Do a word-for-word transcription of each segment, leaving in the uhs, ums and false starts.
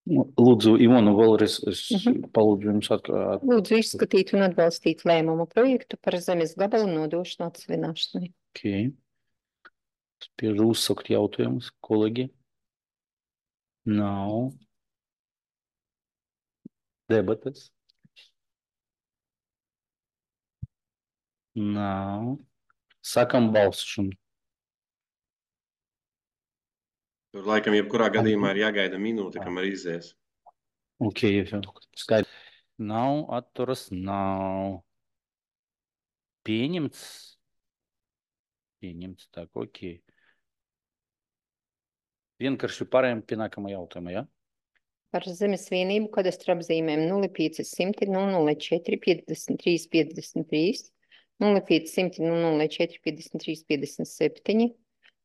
Nu, Lūdzu, Ivona, vēlreiz es Mhm. palūdzu jums atkārt. Lūdzu izskatīt un atbalstīt lēmumu projektu par zemes gabalu nodošanu atsevināšanai. Okay. Spiežu uzsakt jautājumus, kolēģi. Nav. Debates. Nav. Sākam balsošanu. Tur laikam jebkurā gadījumā ir jāgaida minūte, kamēr izies. Ok, jau skaidrs. Nav, atturas, nav. Pieņemts. Pieņemts, tā, ok. Vienkārši pārējām pie nākamā jautājuma, ja? Par zemes vienību kadastra apzīmēm nulle pieci simti nulle četri piecdesmit trīs piecdesmit trīs, nulle pieci simti nulle četri piecdesmit trīs piecdesmit septiņi,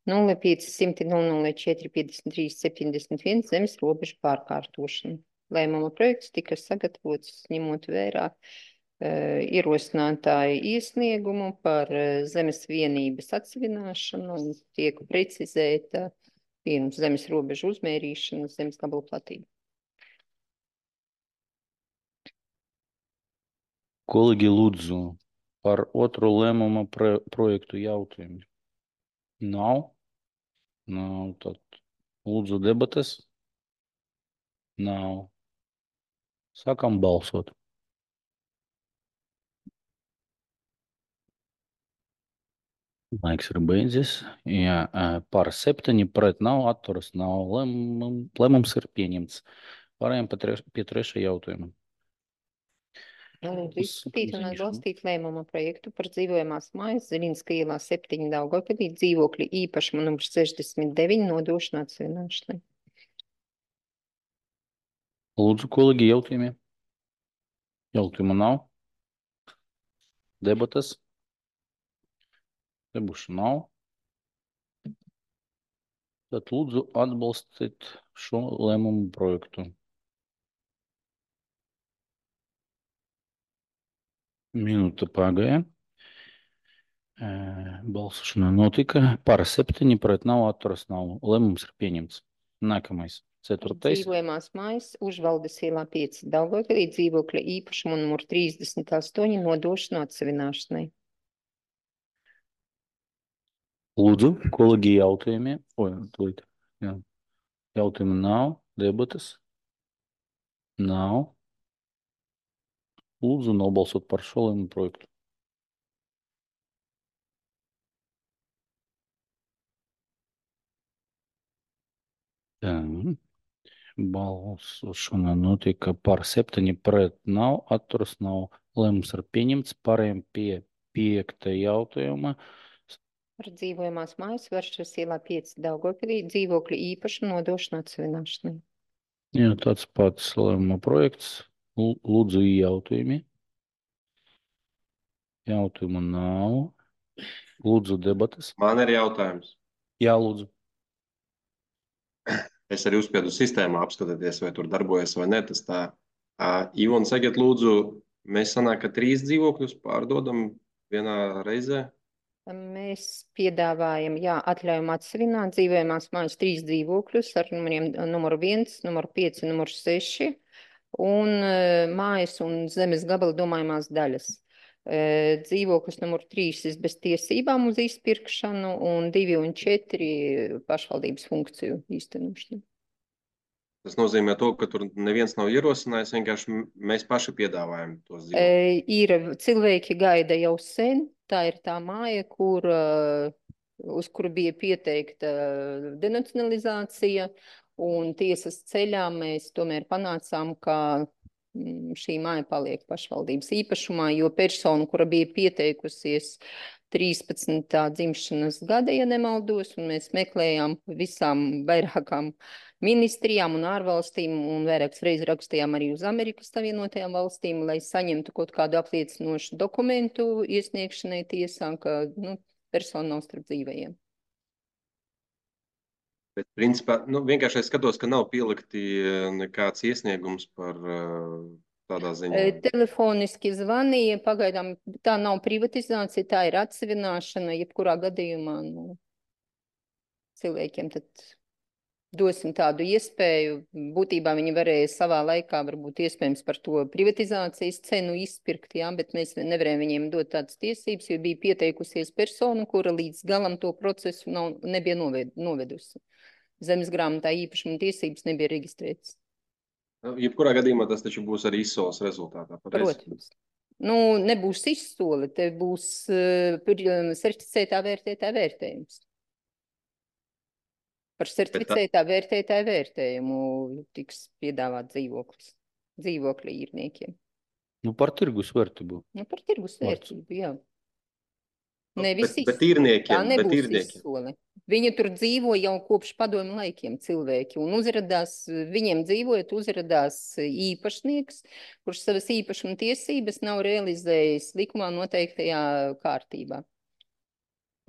nulle pieci simti nulle četri piecdesmit trīs septiņdesmit viens zemes robežu pārkārtošanu. Lēmuma projekts tika sagatavots ņemot vērā uh, ierosinātāju iesniegumu par uh, zemes vienības atsevināšanu un tiek precizēta pirms zemes robežu uzmērīšana zemes gabalu platība. Kolēģi, lūdzu, par otro lēmuma pro projektu jautājumu. Nav? Nav, tad lūdzu debates. Nav. Sākam balsot. Laiks ir beidzies. Jā, par septiņi pret nav, atturas nav. Lēmum, lēmums ir pieņemts. Pārējām pie trešā jautājuma. Lūdzu izskatīt un atbalstīt lēmuma projektu par dzīvojamās mājas Ziļinska ielā septiņi Daugavpilī dzīvokļa īpašuma numurs sešdesmit deviņi nodošanu atsevināšanai. Lūdzu, kolēģi, jautājumi. Jautājumu nav. Debatas. Debušu nav. Tad lūdzu atbalstīt šo lēmumu projektu. Minūte pagāja. Balsošana notika. Par septiņi pret nav, atturas nav. Lēmums ir pieņemts. Nākamais. Ceturtais. Dzīvojamās mājas Užvaldes ielā pieci Daugavpilī dzīvokļa īpašuma numur trīsdesmit astoņi nodošanu atsevināšanai. Lūdzu, kolēģi, jautājumi. O, tūlīt. Jā. Jautājumu nav. Debatas. Nav. Lūdzu, nobalsot par šo lēmumu projektu. Tā. Balsošana notika par septiņi pret nav, atturas nav. Lēmums ir pieņemts. Pārējām pie piekta jautājuma. Par dzīvojamās mājas Varšavas ielā pieci Daugavpilī dzīvokļa īpašuma nodošanu atsevināšanai. Jā, tāds pats lēmuma projekts. Lūdzu, jautājumi. Jautājumu nav. Lūdzu, debatas. Man ir jautājums. Jā, lūdzu. Es arī uzspiedu sistēmā apskatīties, vai tur darbojas vai ne. Tas tā. Uh, Ivona, sakiet, lūdzu, mēs sanāk, ka trīs dzīvokļus pārdodam vienā reizē? Mēs piedāvājam, jā, atļaujam atsevināt dzīvojamās mājas trīs dzīvokļus ar numuriem numuru viens, numuru pieci, numuru seši un uh, mājas un zemes gabala domājumās daļas. Uh, dzīvoklis numuru trīs ir bez tiesībām uz izpirkšanu un divi un četri pašvaldības funkciju īstenošanu. Tas nozīmē to, ka tur neviens nav ierosinājis, vienkārši mēs paši piedāvājam tos dzīvokļus. Uh, ir cilvēki gaida jau sen. Tā ir tā māja, kur, uz kuru bija pieteikta denacionalizācija, un tiesas ceļā mēs tomēr panācām, ka šī māja paliek pašvaldības īpašumā, jo persona, kura bija pieteikusies trīspadsmitā dzimšanas gada, ja nemaldos, un mēs meklējām visām vairākām ministrijām un ārvalstīm, un vairākas reizes rakstījām arī uz Amerikas Savienotajām valstīm, lai saņemtu kaut kādu apliecinošu dokumentu iesniegšanai tiesā, ka nu, persona nav starp dzīvajiem. Bet, principā, nu, vienkārši es skatos, ka nav pielikti nekāds iesniegums par tādā ziņā. Telefoniski zvanīja, pagaidām tā nav privatizācija, tā ir atsevināšana, jebkurā gadījumā nu, cilvēkiem tad dosim tādu iespēju. Būtībā viņi varēja savā laikā varbūt iespējams par to privatizācijas cenu izpirkt, jā, bet mēs nevarējām viņiem dot tādas tiesības, jo bija pieteikusies persona, kura līdz galam to procesu nav, nebija noved, novedusi. Zemes grāmatā īpašuma tiesības nebija reģistrētas. Jebkurā gadījumā tas taču būs arī izsoles rezultātā. Pareiz? Protams. Nu, nebūs izsole, te būs uh, certificētā vērtētā vērtējums. Par certificētā vērtētāju vērtējumu tiks piedāvāt dzīvoklis, dzīvokļa īrniekiem. Nu, par tirgus vērtību. Nu, par tirgus vērtību, jā. Nu, Nevis bet, bet izsole. īrniekiem, Tā nebūs bet īrniekiem. izsole. Viņi tur dzīvo jau kopš padomju laikiem cilvēki, un uzradās, viņiem dzīvojot, uzradās īpašnieks, kurš savas īpašuma tiesības nav realizējis likumā noteiktajā kārtībā.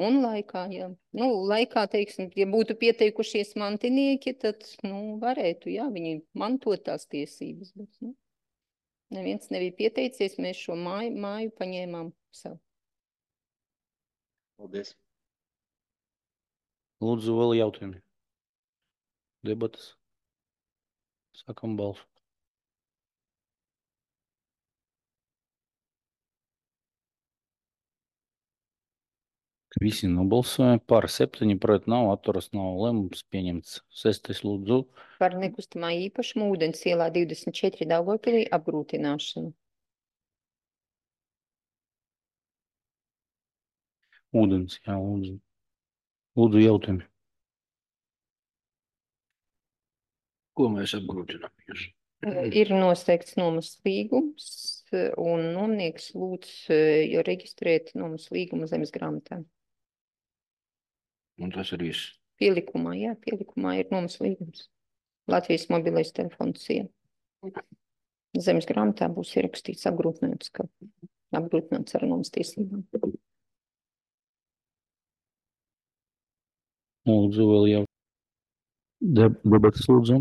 Un laikā, jā. Nu, laikā, teiksim, ja būtu pieteikušies mantinieki, tad, nu, varētu, jā, viņi mantot tās tiesības, bet, nu, neviens nebija pieteicies, mēs šo māju, māju paņēmām sev. Paldies. Lūdzu, vēl jautājumi. Debatas. Sākam balsu. Visi nobalsoja par septiņi, pret nav, atturas nav, lēmums pieņemts. Sestais lūdzu. Par nekustamā īpašumu ūdens ielā divdesmit četri Daugavpilī apgrūtināšanu. Ūdens, jā, lūdzu. Lūdzu jautājumi. Ko mēs apgrūtinām jūs? Ir nosteikts nomas līgums, un nomnieks lūdz jo reģistrēt nomas līgumu zemes grāmatā. Un tas ir viss. Pielikumā, jā, pielikumā ir nomas līgums. Latvijas mobilais telefons siena. Zemes grāmatā būs ierakstīts apgrūtināts, ka apgrūtināts ar nomas tiesībām. Lūdzu, vēl jau. Debatas lūdzu.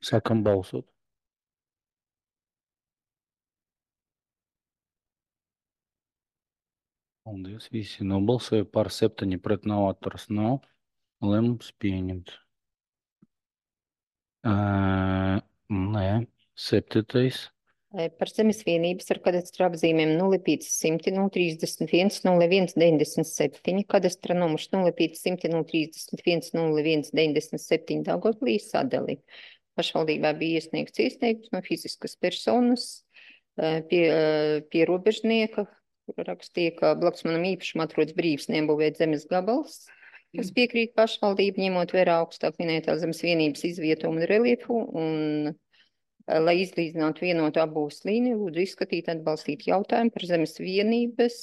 Sākam balsot. Paldies, visi nobalsoja par septiņi, pret nav, atturas nav. Lēmums pieņemts. Uh, nē, septītais. Par zemes vienības ar kadastra apzīmēm nulle pieci simti nulle trīsdesmit viens nulle viens deviņdesmit septiņi, kadastra numurs nulle pieci simti nulle trīsdesmit viens nulle viens deviņdesmit septiņi Daugavpilī sadali. Pašvaldībā bija iesniegts iesniegums no fiziskas personas pie, pie robežnieka, rakstīja, ka blakus manam īpašam atrodas brīvs neapbūvēt zemes gabals, kas piekrīt pašvaldību, ņemot vērā augstāk minētā zemes vienības izvietojumu un reliefu, un lai izlīdzinātu vienotu apbūves līniju, lūdzu izskatīt atbalstīt jautājumu par zemes vienības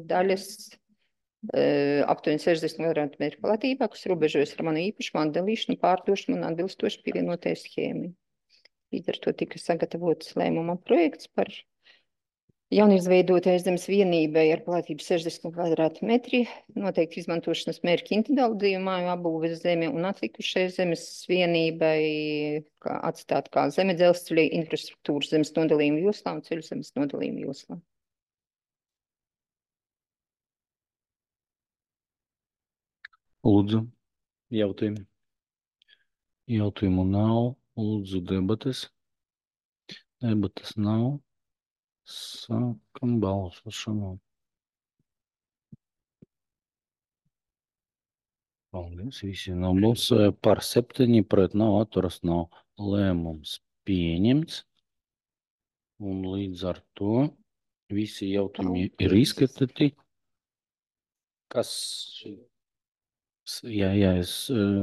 daļas uh, aptuveni sešdesmit kvadrātmetru platībā, kas robežojas ar manu īpašumu atdalīšanu, pārdošanu un atbilstoši pievienotajai schēmai. Līdz ar to tika sagatavots lēmuma projekts par jaunizveidotajai zemes vienībai ar platību sešdesmit kvadrātmetri, noteikti izmantošanas mērķi individuālu māju apbūves zemi un atlikušai zemes vienībai kā atstāt kā zeme dzelzceļa infrastruktūras zemes nodalījuma joslā un ceļu zemes nodalījuma joslā. Lūdzu, jautājumi. Jautājumu nav. Lūdzu, debates. Debates nav. Sākam balsošanu. Paldies, visi nobalsoja par septiņi, pret nav, atturas nav. Lēmums pieņemts. Un līdz ar to visi jautājumi ir izskatīti. Kas? Jā, jā, es